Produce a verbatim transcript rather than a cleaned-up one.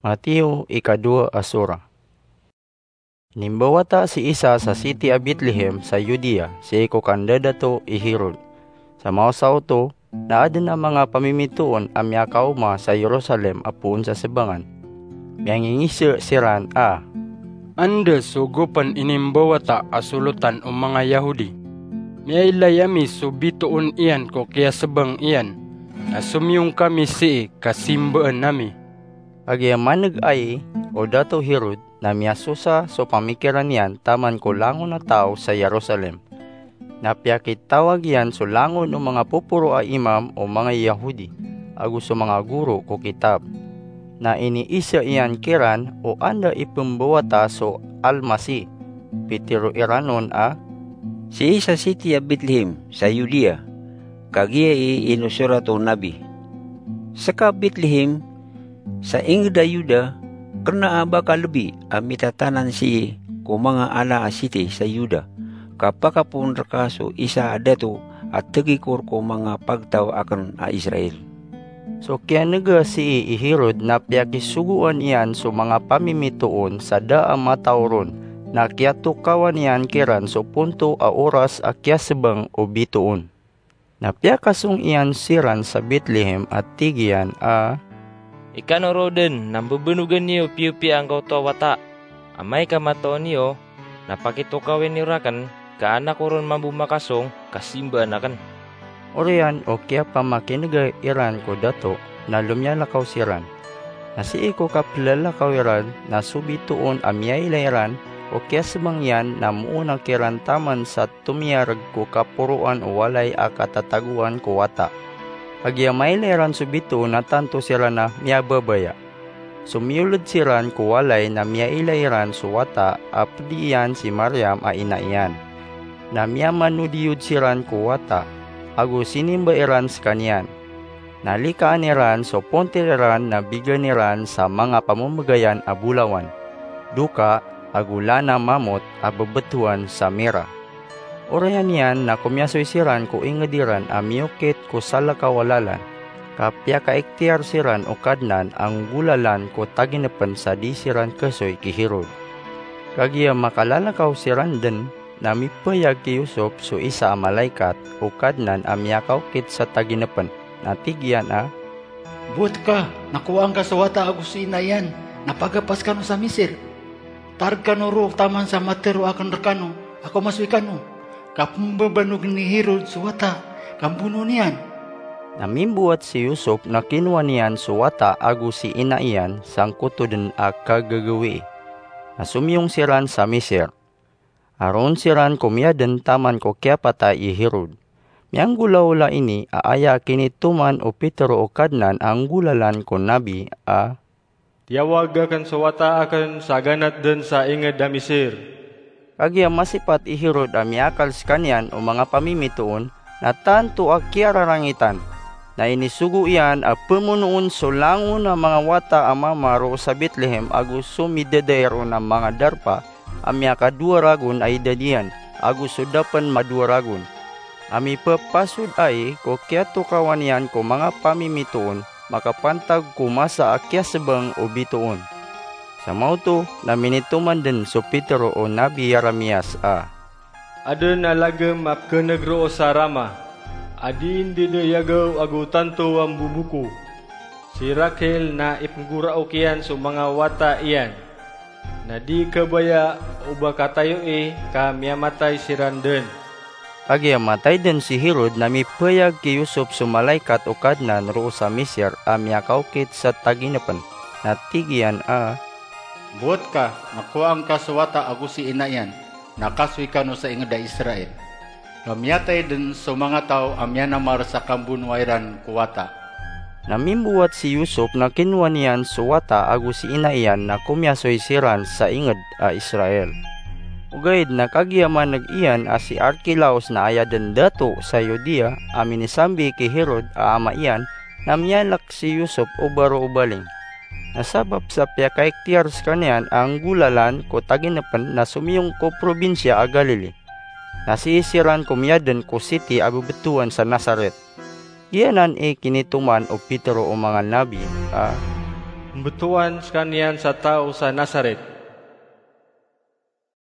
Mateo, ikadowa a sura. Inimbawata si Isa sa siti a Betlehem sa Judea, sii ko kandadato i Herod. Sa maosaw oto, na adn a manga pamimitoon a miyakaoma sa Jerusalem a poon sa sabangan. Miyangingiza siran a, "Anda so gopan inimbawata a solotan o manga Yahudi? Miyailay ami so bitoon iyan ko kiyasabang iyan, na somiyong kami sii ka simbaan ami." Kagiya maneg ai o Dato Herod, na miyasosa so pamikiran iyan taman ko langon a taw sa Jerusalem. Na piyakitawag iyan so langon o manga poporo a imam o manga Yahudi, ago so manga goro ko kitab. Na iniiza iyan kiran o anda ipembawata so Almasih. Pitero iran on a, "Sii sa siti a Betlehem sa Judea, kagiya i inosorat o nabi, 'Seka, Betlehem, sa inged a Juda, kena a ba ka lebi a mitatanan sii ko manga ala a siti sa Juda, ka pakapoon reka so isa a dato a tegikor ko manga pagtaw aken a Israel.'" So kiyanega sii i Herod na piyakisogoan iyan so manga pamimitoon sa da a mataw ron, na kiyatokawan iyan kiran so ponto a oras a kiyasebang o bitoon. Na piyakasong iyan siran sa Betlehem a tig iyan a, "Ikano roo den na mbebenogen iyo piyapiya angkoto a wata. Amay ka mataw niyo, na pakitokawi niyo raken, ka anak ko ron mambo makasong ka simbaan aken." Oriyan o kiyapamakinega iran ko dato, na lomiyalakaw siran. Na sii ko kapelalakaw iran, na so bitoon a miyailay iran ko kiyasebang iyan na moona kiran taman sa tomiyareg ko kaporoan o walay a katatagoan ko wata. Kagiya mailay iran so bitoon na tanto siran a miyababaya. Somiyoled siran ko walay na miyailay iran so wata a ped iyan si Mariam a ina iyan. Na miyamanodiyod siran ko wata, ago sinimba iran sekaniyan. Na likaan iran so pontir iran na bigan iran sa manga pamemegayan a bolawan, doka, ago lana mamot a bebetowan sa mira. Oriyan iyan na komiyasoy siran ko inged iran a miyokit ko salakaw a lalan, ka piyakaiktiyar siran o Kadnan a nggolalan ko taginepen sa di siran kesoy ki Herod. Kagiya makalalakaw siran den, na mipayag ki Yusop so isa a malaikat o Kadnan a miyakaokit sa taginepen, na tig iyan a, "Bowat ka, na kowaan ka so wata ago si ina iyan, na pagapas kano sa Misir. Tareg kano roo taman sa matero aken rekano a komasoy kano, ka pembabanogen i Herod so wata, ka mbonoon iyan." Na mimbowat si Yusop na kinowa niyan so wata ago si ina iyan sangkoto den a kagagawii. Na somiyong siran sa Misir. Aron siran komiyaden taman ko kiyapatay i Herod. Miyanggolawla ini a aya kinitoman o Petero o Kadnan a nggolalan ko nabi a, "Tiyawag aken so wata aken sa ganat den sa inged a Misir." Kagiya masipat i Herod a miyakal sekaniyan o manga pamimitoon, na tanto a kiyararangitan. Na inisogo iyan a pemonoon so langon a manga wata a mama roo sa Betlehem ago so midadair on a manga darpa a miyakadowa ragon a idad iyan, ago so da pen madowa ragon. A mipepasod ai ko kiyatokawan iyan ko manga pamimitoon makapantag ko masa a kiyasebang o bitoon. Sa maoto na minitoman den so Petero o Nabi Yeremias a, "Aden a lagem a pekeneg roo sa Rama, a di ndedeyagaw ago tanto a mboboko. Si Rakhel na ipenggoraok iyan so manga wata iyan. Na di kabaya o ba katayoi ka miyamatay siran den." Kagiya matay den si Herod na mipayag ki Yusop so malaikat o Kadnan roo sa Misir a miyakaokit sa taginepen, na tig iyan a, "Bowat ka, na kowaan ka so wata ago si ina iyan, na kasoy kano sa inged a Israel. Ka miyatay den so manga taw a miyanamar sa kambonowa iran ko wata." Na mimbowat si Yusop na kinowa niyan so wata ago si ina iyan na komiyasoy siran sa inged a Israel. Ogaid na kagiya maneg iyan a si Arkelaos na aya den dato sa Judea a minisambi ki Herod a ama iyan, na miyalek si Yusop o baro o baling. Na sabap sa piyakaikhtiyar sekaniyan a nggolalan ko taginepen na somiyong ko probinsiya a Galili. Na sii siran komiyaden ko siti a bebetowan sa Nazaret. Giyanan i kinitoman o Petero o manga nabi a, Pmbtowan skaniyan sa taw sa Nazaret.